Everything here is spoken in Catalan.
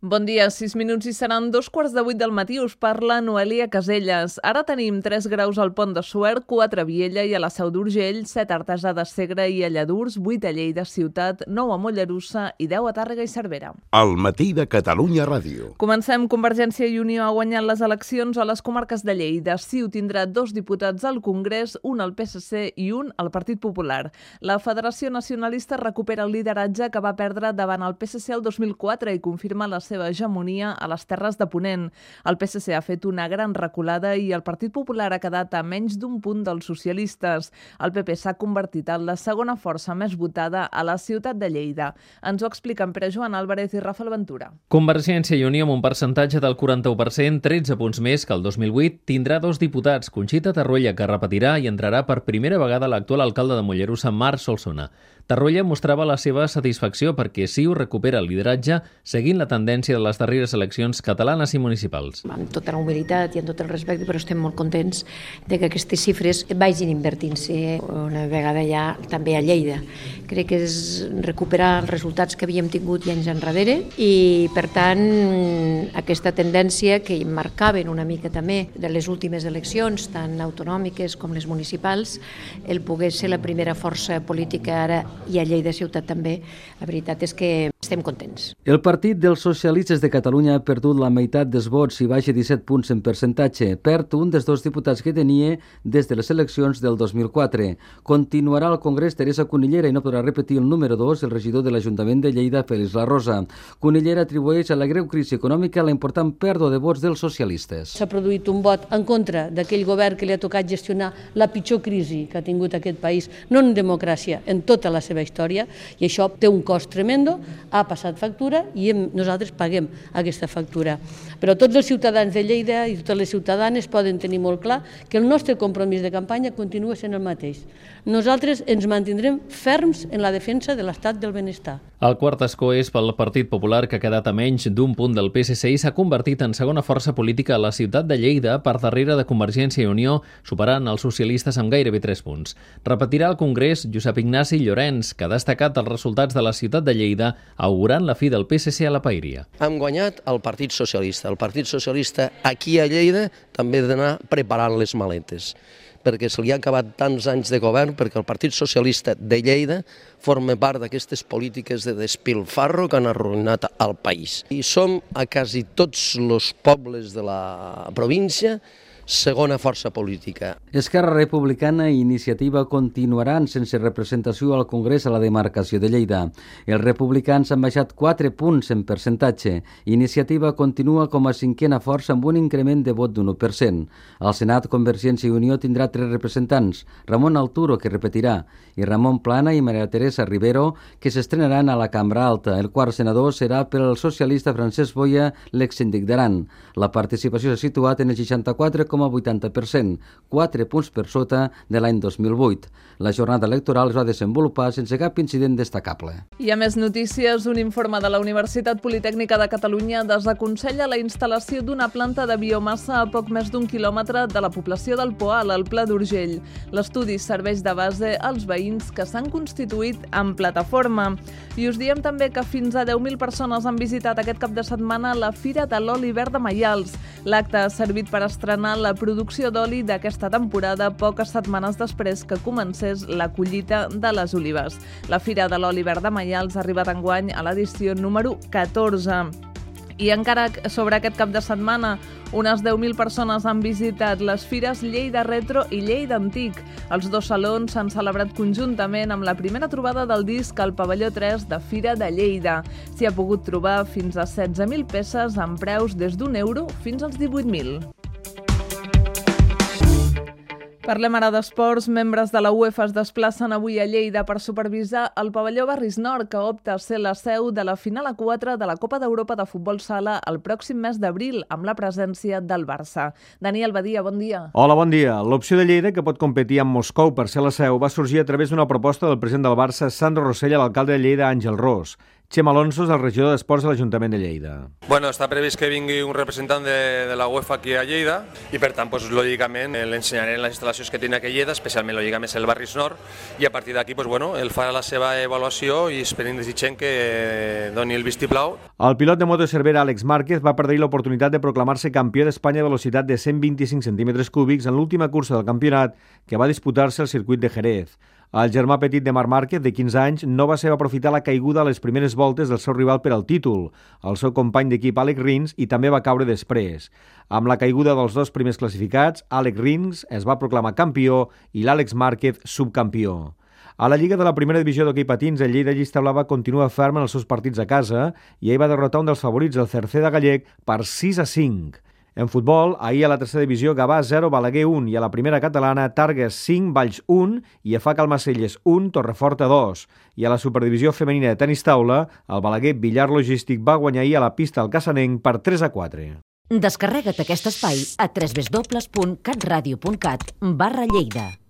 Bon dia, 6 minuts i seran 7:15 del matí. Us parla Noelia Caselles. Ara tenim 3 graus al Pont de Suert, 4 a Viella i a la Seu d'Urgell, 7 a Artesà de Segre i a Lladurs, 8 a Lleida Ciutat, 9 a Mollerussa i 10 a Tàrrega i Cervera. Al matí de Catalunya Ràdio. Comencem. Convergència i Unió ha guanyat les eleccions a les comarques de Lleida. CiU tindrà 2 diputats al Congrés, un al PSC i un al Partit Popular. La Federació Nacionalista recupera el lideratge que va perdre davant el PSC el 2004 i confirma la seva hegemonia a les Terres de Ponent. El PSC ha fet una gran reculada i el Partit Popular ha quedat a menys d'un punt dels socialistes. El PP s'ha convertit en la segona força més votada a la ciutat de Lleida. Ens ho expliquen Pere Joan Álvarez i Rafael Ventura. Convergència i Unió, amb un percentatge del 41%, 13 punts més que el 2008, tindrà 2 diputats, Conxita Tarruella, que repetirà i entrarà per primera vegada l'actual alcalde de Mollerussa, Marc Solsona. Tarruella mostrava la seva satisfacció perquè CiU recupera el lideratge seguint la tendència de les darreres eleccions catalanes i municipals. Amb tota la humilitat i amb tot el respecte, però estem molt contents de que aquestes xifres vagin invertint-se una vegada ja també a Lleida. Crec que és recuperar els resultats que havíem tingut anys enrere i, per tant, aquesta tendència que marcaven una mica també de les últimes eleccions, tant autonòmiques com les municipals, el poder ser la primera força política ara i a Lleida Ciutat també, la veritat és que estem contents. El Partit dels Socialistes de Catalunya ha perdut la meitat dels vots i baixa 17 punts en percentatge. Perd un dels 2 diputats que tenia des de les eleccions del 2004. Continuarà al Congrés Teresa Cunillera i no podrà repetir el número 2, el regidor de l'Ajuntament de Lleida, Félix La Rosa. Cunillera atribueix a la greu crisi econòmica la important pèrdua de vots dels socialistes. S'ha produït un vot en contra d'aquell govern que li ha tocat gestionar la pitjor crisi que ha tingut aquest país, no en democràcia, en tota la seva història, i això té un cost tremendo, ha passat factura i nosaltres paguem aquesta factura. Però tots els ciutadans de Lleida i totes les ciutadanes poden tenir molt clar que el nostre compromís de campanya continua sent el mateix. Nosaltres ens mantindrem ferms en la defensa de l'estat del benestar. El quart escó és pel Partit Popular, que ha quedat a menys d'un punt del PSC i s'ha convertit en segona força política a la ciutat de Lleida per darrere de Convergència i Unió, superant els socialistes amb gairebé 3 punts. Repetirà al Congrés Josep Ignasi Llorenç, que ha destacat els resultats de la ciutat de Lleida, augurant la fi del PSC a la paeria. Hem guanyat el Partit Socialista. El Partit Socialista aquí a Lleida també ha d'anar preparant les maletes, perquè se li ha acabat tants anys de govern, perquè el Partit Socialista de Lleida forma part d'aquestes polítiques de despilfarro que han arruïnat el país. I som a quasi tots els pobles de la província segona força política. Esquerra Republicana i Iniciativa continuaran sense representació al Congrés a la demarcació de Lleida. Els republicans han baixat 4 punts en percentatge. Iniciativa continua com a cinquena força amb un increment de vot d'un 1%. Al Senat, Convergència i Unió tindrà 3 representants, Ramon Alturo, que repetirà, i Ramon Plana i Maria Teresa Rivero, que s'estrenaran a la Cambra Alta. El quart senador serà per al socialista Francesc Boia, l'exsíndic d'Aran. La participació s'ha situat en el 64,80%, 4 punts per sota de l'any 2008. La jornada electoral es va desenvolupar sense cap incident destacable. I a més notícies, un informe de la Universitat Politècnica de Catalunya desaconsella la instal·lació d'una planta de biomassa a poc més d'1 quilòmetre de la població del Poal, al Pla d'Urgell. L'estudi serveix de base als veïns que s'han constituït en plataforma. I us diem també que fins a 10.000 persones han visitat aquest cap de setmana la Fira de l'Oli Verd de Maials. L'acte ha servit per estrenar la producció d'oli d'aquesta temporada poques setmanes després que comencés la collita de les olives. La Fira de l'Oli Verd de Maials ha arribat enguany a l'edició número 14. I encara sobre aquest cap de setmana, unes 10.000 persones han visitat les fires Lleida Retro i Lleida Antic. Els 2 salons s'han celebrat conjuntament amb la primera trobada del disc al pavelló 3 de Fira de Lleida. S'hi ha pogut trobar fins a 16.000 peces amb preus des d'€1 fins als 18.000. Parlem ara d'esports. Membres de la UEFA es desplacen avui a Lleida per supervisar el pavelló Barris Nord, que opta a ser la seu de la final a 4 de la Copa d'Europa de Futbol Sala el pròxim mes d'abril, amb la presència del Barça. Daniel Badia, bon dia. Hola, bon dia. L'opció de Lleida, que pot competir amb Moscou per ser la seu, va sorgir a través d'una proposta del president del Barça, Sandro Rosell, a l'alcalde de Lleida, Àngel Ros. Txema Alonso és el regidor d'Esports de l'Ajuntament de Lleida. Bueno, està previst que vingui un representant de la UEFA aquí a Lleida i per tant, pues, lògicament, l'ensenyaré les instal·lacions que té aquí a Lleida, especialment, lògicament, el Barris Nord, i a partir d'aquí, pues, bueno, ell farà la seva avaluació i esperem desitgem que doni el vistiplau. El pilot de moto Cervera, Àlex Márquez, va perdre l'oportunitat de proclamar-se campió d'Espanya de velocitat de 125 centímetres cúbics en l'última cursa del campionat que va disputar-se al circuit de Jerez. El germà petit de Marc Márquez, de 15 anys, no va saber aprofitar la caiguda a les primeres voltes del seu rival per al títol, el seu company d'equip Àlex Rins, i també va caure després. Amb la caiguda dels dos primers classificats, Àlex Rins es va proclamar campió i l'Àlex Márquez subcampió. A la Lliga de la Primera Divisió d'Hoquei Patins, el Lleida Llista Blava continua ferm en els seus partits a casa i ahir va derrotar un dels favorits, el Cerceda Gallec, per 6-5. En futbol, ahir a la tercera divisió, Gavà 0, Balaguer 1, i a la primera catalana, Targues 5, Valls 1 i EFAC Almacelles 1, Torreforta 2. I a la superdivisió femenina de tenis taula, el Balaguer Villar Logístic va guanyar ahir a la pista al Cassanenc per 3-4. Descarrega't aquest espai a www.catradio.cat/Lleida.